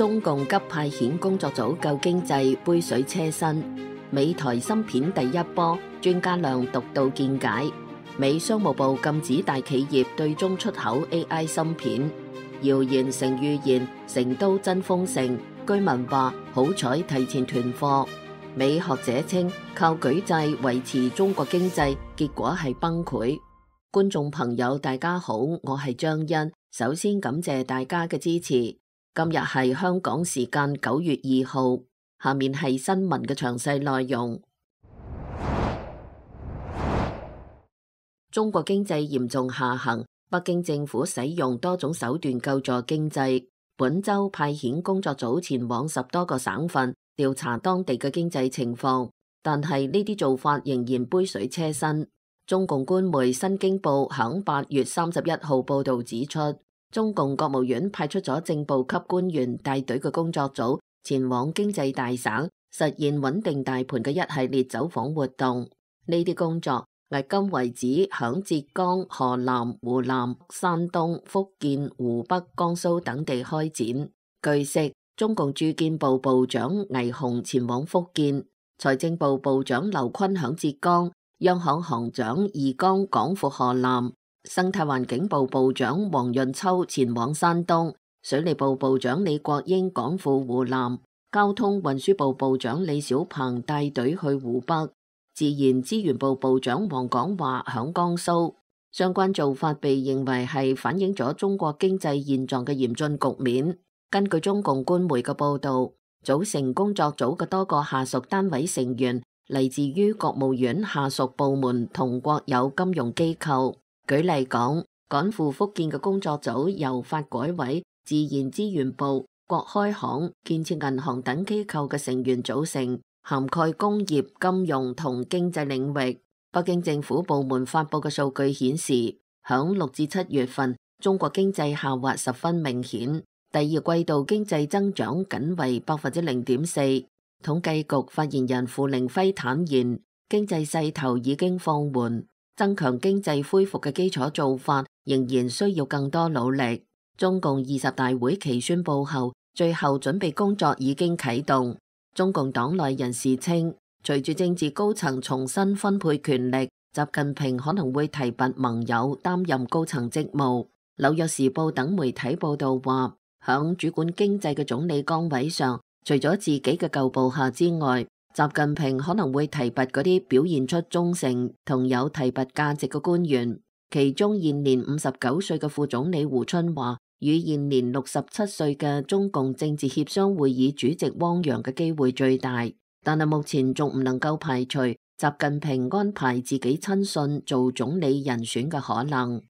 中共急派遣工作組救經濟杯水車薪，美台芯片第一波，專家亮獨到見解。美商務部禁止大企業對中出口 AI 芯片，謠言成預言，成都真豐盛。居民話好彩提前囤貨。美學者稱靠舉債維持中國經濟，結果係崩潰。觀眾朋友大家好，我係張欣，首先感謝大家嘅支持。今日係香港時間9月2號，下面係新聞嘅詳細內容。中國經濟嚴重下行，北京政府使用多種手段救助經濟。本周派遣工作組前往10多個省份調查當地嘅經濟情況，但係呢啲做法仍然杯水車薪。中共官媒新京報響8月31號報道指出，中共國務院派出咗正部級官員帶隊嘅工作組前往經濟大省，實現穩定大盤嘅一系列走訪活動。呢啲工作迄今為止響浙江、河南、湖南、山東、福建、湖北、江蘇等地開展。據悉，中共住建部部長倪虹前往福建，財政部部長劉昆響浙江，央行行長易綱趕赴河南。生態環境部部長黃潤秋前往山東，水利部部長李國英趕赴湖南，交通運輸部部長李小鵬帶隊去湖北，自然資源部部長黃廣華響江蘇。相關做法被認為係反映咗中國經濟現狀嘅嚴峻局面。根據中共官媒嘅報道，組成工作組嘅多個下屬單位成員嚟自於國務院下屬部門同國有金融機構。舉例講，趕赴福建嘅工作組由發改委、自然資源部、國開行、建設銀行等機構嘅成員組成，涵蓋工業、金融同經濟領域。北京政府部門發佈嘅數據顯示，響6至7月份，中國經濟下滑十分明顯，第二季度經濟增長僅為0.4%。統計局發言人傅凌輝坦言，經濟勢頭已經放緩。增強經濟恢復嘅基礎做法仍然需要更多努力。中共20大會期宣布後，最後準備工作已經啟動。中共黨內人士稱，隨住政治高層重新分配權力，習近平可能會提拔盟友擔任高層職務。紐約時報等媒體報道話，響主管經濟嘅總理崗位上，除咗自己嘅舊部下之外，習近平可能會提拔嗰啲表現出忠誠同有提拔價值嘅官員，其中現年59歲嘅副總理胡春華與現年67歲嘅中共政治協商會議主席汪洋嘅機會最大，但係目前仲唔能夠排除習近平安排自己親信做總理人選嘅可能。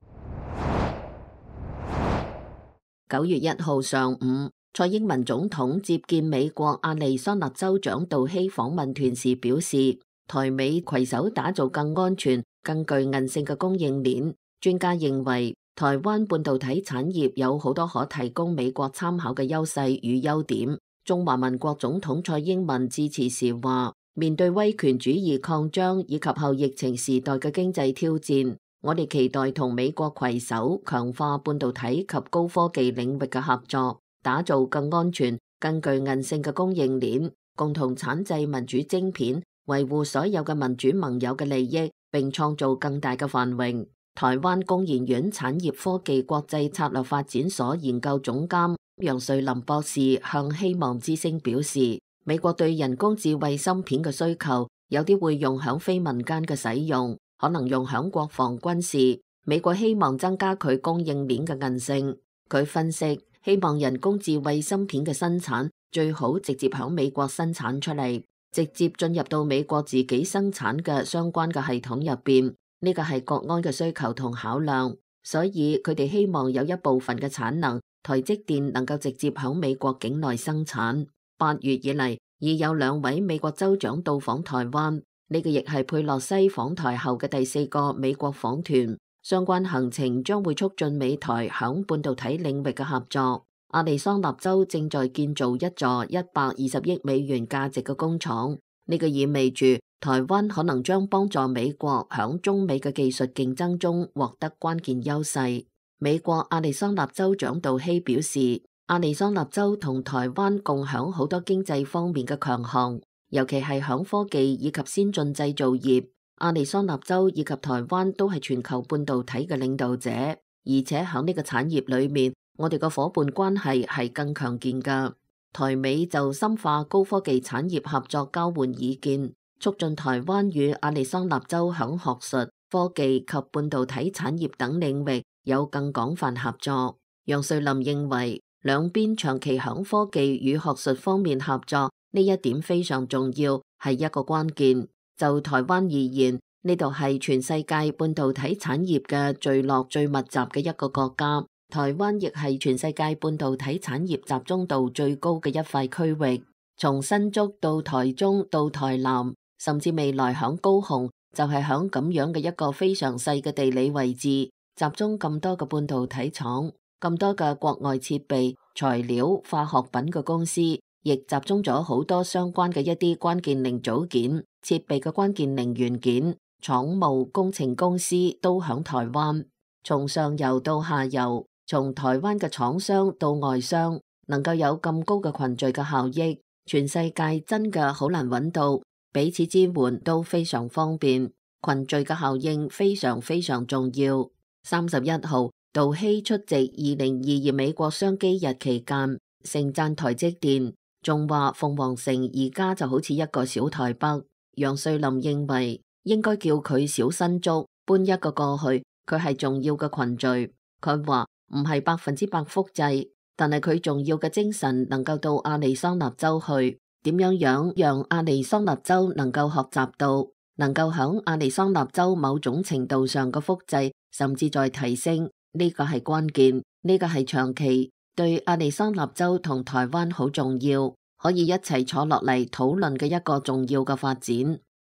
9月1號上午，蔡英文總統接見美國亞利桑那州長杜希訪問團時表示，台美攜手打造更安全、更具韌性嘅供應鏈。專家認為，台灣半導體產業有好多可提供美國參考嘅優勢與優點。中華民國總統蔡英文致辭時話，面對威權主義擴張以及後疫情時代嘅經濟挑戰，我哋期待同美國攜手強化半導體及高科技領域嘅合作，打造更安全、更具韌性嘅供應鏈，共同產製民主晶片，維護所有嘅民主盟友嘅利益，並創造更大嘅繁榮。台灣工研院產業科技國際策略發展所研究總監楊瑞林博士向希望之聲表示，美國對人工智慧芯片嘅需求，有啲會用響非民間嘅使用，可能用響國防軍事。美國希望增加佢供應鏈嘅韌性。佢分析，希望人工智慧芯片嘅生產最好直接響美國生產出嚟，直接進入到美國自己生產嘅相關嘅系統入邊。呢個係國安嘅需求同考量，所以佢哋希望有一部分嘅產能，台積電能夠直接響美國境內生產。8月以嚟，已有2位美國州長到訪台灣，呢個亦係佩洛西訪台後嘅第4個美國訪團。相關行程將會促進美台響半導體領域嘅合作。亞利桑那州正在建造一座120億美元價值嘅工廠，呢個意味住台灣可能將幫助美國響中美嘅技術競爭中獲得關鍵優勢。美國亞利桑那州長杜希表示，亞利桑那州同台灣共享好多經濟方面嘅強項，尤其係響科技以及先進製造業。亞利桑那州以及台灣都係全球半導體嘅領導者，而且響呢個產業裏面，我哋個伙伴關係係更強健㗎。台美就深化高科技產業合作交換意見，促進台灣與亞利桑那州響學術、科技及半導體產業等領域有更廣泛合作。楊瑞林認為，兩邊長期響科技與學術方面合作，呢一點非常重要，係一個關鍵。就台灣而言，呢度係全世界半導體產業嘅聚落最密集嘅一個國家，台灣亦係全世界半導體產業集中度最高嘅一塊區域。從新竹到台中到台南，甚至未來響高雄，就係響咁樣嘅一個非常細嘅地理位置，集中咁多嘅半導體廠，咁多嘅國外設備、材料、化學品嘅公司，亦集中咗好多相關嘅一啲關鍵零組件、設備嘅關鍵零元件、廠務工程公司都響台灣。從上游到下游，從台灣嘅廠商到外商，能夠有咁高嘅群聚嘅效益，全世界真嘅好難揾到，彼此支援都非常方便，群聚嘅效應非常非常重要。31號，杜希出席2022美國商機日期間，盛讚台積電，仲話鳳凰城而家就好似一個小台北。楊瑞林認為應該叫佢小新竹，搬一個過去，佢係重要嘅群聚。佢話唔係100%複製，但係佢重要嘅精神能夠到亞利桑那州去，點樣讓亞利桑那州能夠學習到，能夠響亞利桑那州某種程度上嘅複製，甚至再提升，呢個係關鍵，呢個係長期對亞利桑那州同台灣好重要，可以一齊坐落嚟討論嘅一個重要嘅發展。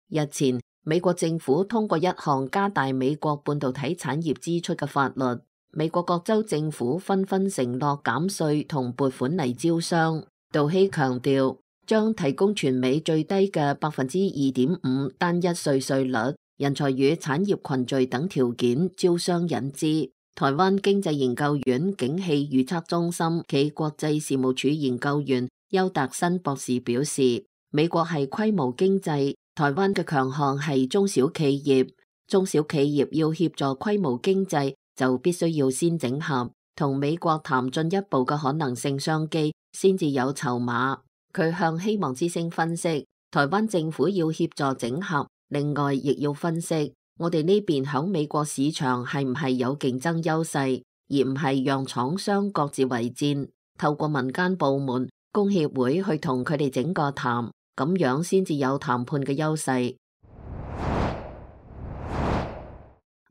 日前，美國政府通過一項加大美國半導體產業支出嘅法律，美國各州政府紛紛承諾減稅同撥款嚟招商。杜希強調，將提供全美最低嘅2.5%單一稅率、人才與產業群聚等條件招商引資。台灣經濟研究院景氣預測中心暨國際事務處研究員邱達新博士表示，美國係規模經濟，台灣嘅強項係中小企業，中小企業要協助規模經濟，就必須要先整合，同美國談進一步嘅可能性商機，先至有籌碼。佢向希望之聲分析，台灣政府要協助整合，另外亦要分析我哋呢邊響美國市場係唔係有競爭優勢，而唔係讓廠商各自為戰，透過民間部門、工協會去同佢哋整個談，咁樣先至有談判嘅優勢。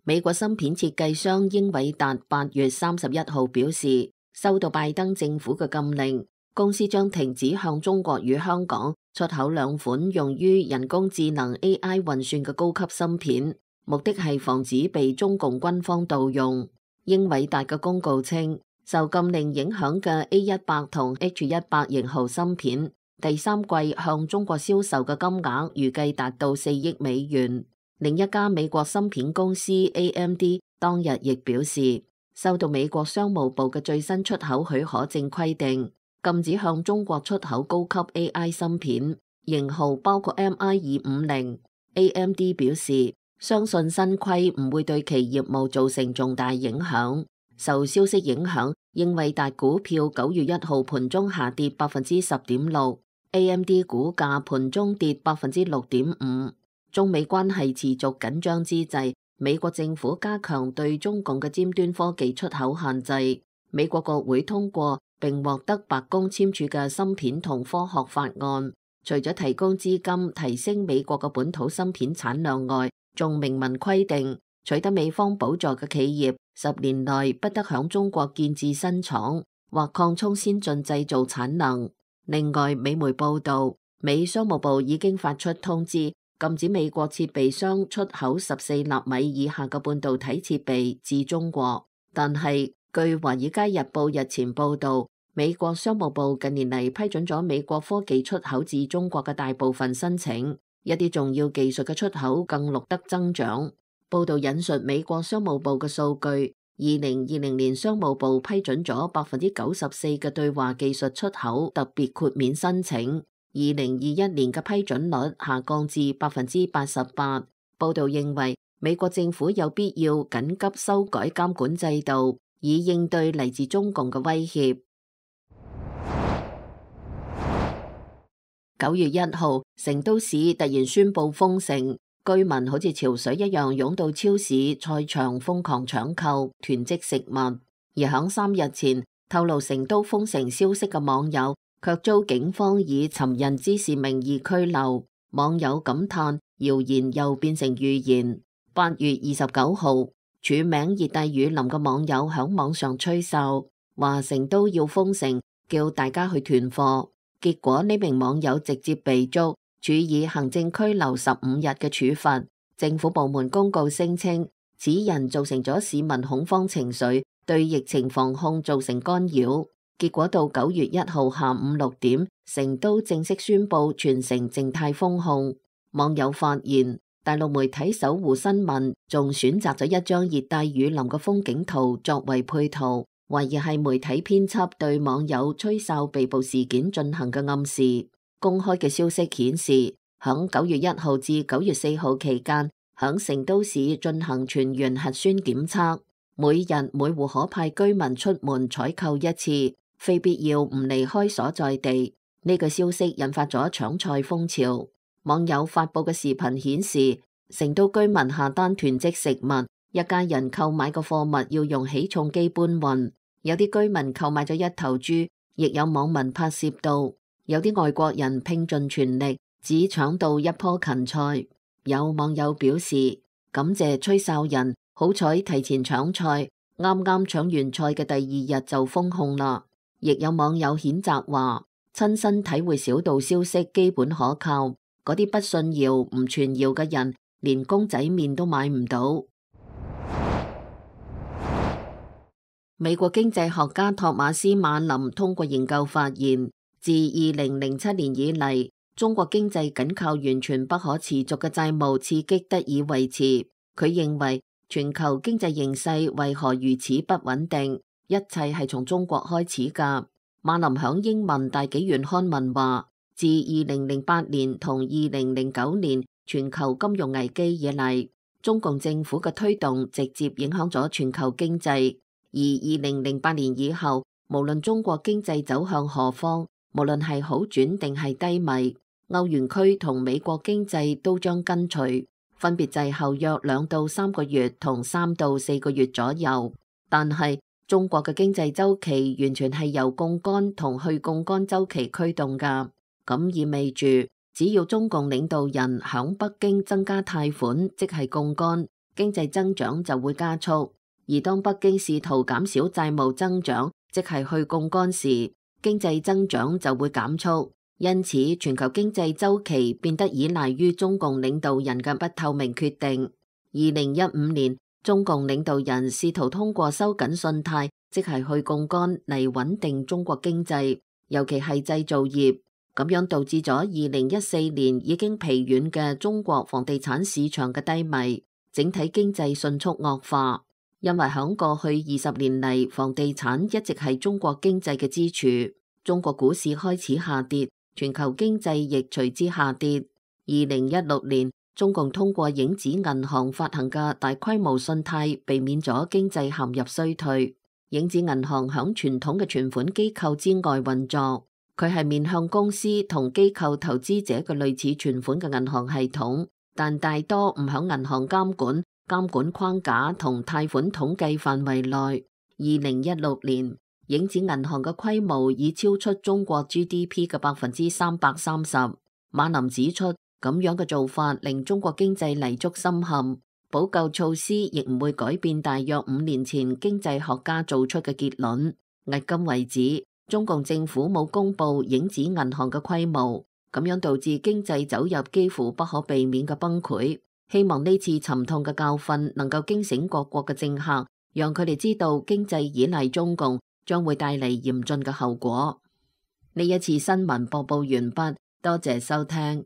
美國芯片設計商英偉達8月31號表示，收到拜登政府嘅禁令，公司將停止向中國與香港出口2款用於人工智能 AI 運算嘅高級芯片，目的係防止被中共軍方盜用。英偉達嘅公告稱，受禁令影響嘅 A100 同 H100 型號芯片，第三季向中國銷售嘅金額預計達到4億美元。另一家美國芯片公司 AMD 當日亦表示，收到美國商務部嘅最新出口許可證規定，禁止向中國出口高級 AI 芯片，型號包括 MI250。AMD 表示，相信新規唔會對其業務造成重大影響。受消息影響，英偉達股票9月1號盤中下跌10.6%，AMD 股價盤中跌6.5%。中美關係持續緊張之際，美國政府加強對中共嘅尖端科技出口限制。美國國會通過並獲得白宮簽署嘅芯片同科學法案，除咗提供資金提升美國嘅本土芯片產量外，仲明文規定取得美方補助嘅企業10年內不得響中國建置新廠或擴充先進製造產能。另外，美媒報道，美商務部已經發出通知，禁止美國設備商出口14納米以下嘅半導體設備至中國。但係，據華爾街日報日前報道，美國商務部近年嚟批准咗美國科技出口至中國嘅大部分申請，一啲重要技術嘅出口更錄得增長。報道引述美國商務部嘅數據， 2020年商務部批准咗94%嘅對華技術出口特別豁免申請，2021年嘅批准率下降至88%。報道認為，美國政府有必要緊急修改監管制度，以應對嚟自中共嘅威脅。9月1號，成都市突然宣布封城，居民好似潮水一樣湧到超市、菜場瘋狂搶購、囤積食物。而響3日前透露成都封城消息嘅網友，卻遭警方以尋釁滋事名義拘留。網友感嘆：謠言又變成預言。8月29號，署名熱帶雨林嘅網友響網上吹哨，話成都要封城，叫大家去囤貨。結果呢名網友直接被捉，處以行政拘留15日嘅處罰。政府部門公告聲稱，此人造成咗市民恐慌情緒，對疫情防控造成干擾。結果到9月1號下午6點，成都正式宣布全城靜態封控。網友發現，大陸媒體搜狐新聞仲選擇咗一張熱帶雨林嘅風景圖作為配圖，懷疑係媒體編輯對網友吹哨被捕事件進行嘅暗示。公開嘅消息顯示，響9月1號至9月4號期間，響成都市進行全員核酸檢測，每日每戶可派居民出門採購一次，非必要唔離開所在地。呢個消息引發咗搶菜風潮。網友發佈嘅視頻顯示，成都居民下單囤積食物，一家人購買嘅貨物要用起重機搬運。有啲居民購買咗1頭豬，亦有網民拍攝到，有啲外國人拼盡全力，只搶到1棵芹菜。有網友表示感謝吹哨人，好彩提前搶菜，啱啱搶完菜嘅第2日就封控啦。亦有網友譴責話，親身體會小道消息基本可靠。嗰啲不信謠唔傳謠嘅人，連公仔麵都買唔到。美國經濟學家托馬斯馬林通過研究發現，自2007年以嚟，中國經濟僅靠完全不可持續嘅債務刺激得以維持。佢認為全球經濟形勢為何如此不穩定，一切係從中國開始㗎。馬林響英文大紀元刊文話，自2008年同2009年全球金融危機以嚟，中共政府嘅推動直接影響咗全球經濟。而2008年以後，無論中國經濟走向何方，無論係好轉定係低迷，歐元區同美國經濟都將跟隨，分別滯後約2到3個月同3到4個月左右。但係中國嘅經濟週期完全係由槓桿同去槓桿週期驅動㗎。咁意味住，只要中共領導人響北京增加貸款，即係槓桿，經濟增長就會加速；而當北京試圖減少債務增長，即係去槓桿時，經濟增長就會減速。因此，全球經濟週期變得依賴於中共領導人嘅不透明決定。2015年，中共領導人試圖通過收緊信貸，即係去槓桿嚟穩定中國經濟，尤其係製造業。咁樣導致咗2014年已經疲軟嘅中國房地產市場嘅低迷，整體經濟迅速惡化。因為響過去20年嚟，房地產一直係中國經濟嘅支柱。中國股市開始下跌，全球經濟亦隨之下跌。2016年，中共通過影子銀行發行嘅大規模信貸，避免咗經濟陷入衰退。影子銀行響傳統嘅存款機構之外運作。佢係面向公司同機構投資者嘅類似存款嘅銀行系統，但大多唔響銀行監管框架同貸款統計範圍內。2016年，影子銀行嘅規模已超出中國 GDP 嘅330%。馬林指出，咁樣嘅做法令中國經濟泥足深陷，補救措施亦唔會改變大約5年前經濟學家做出嘅結論。迄今為止，中共政府冇公布影子銀行嘅規模，咁樣導致經濟走入幾乎不可避免嘅崩潰。希望呢次沉痛嘅教訓能夠驚醒各國嘅政客，讓佢哋知道經濟依賴中共將會帶嚟嚴峻嘅後果。呢一次新聞播報完畢，多謝收聽。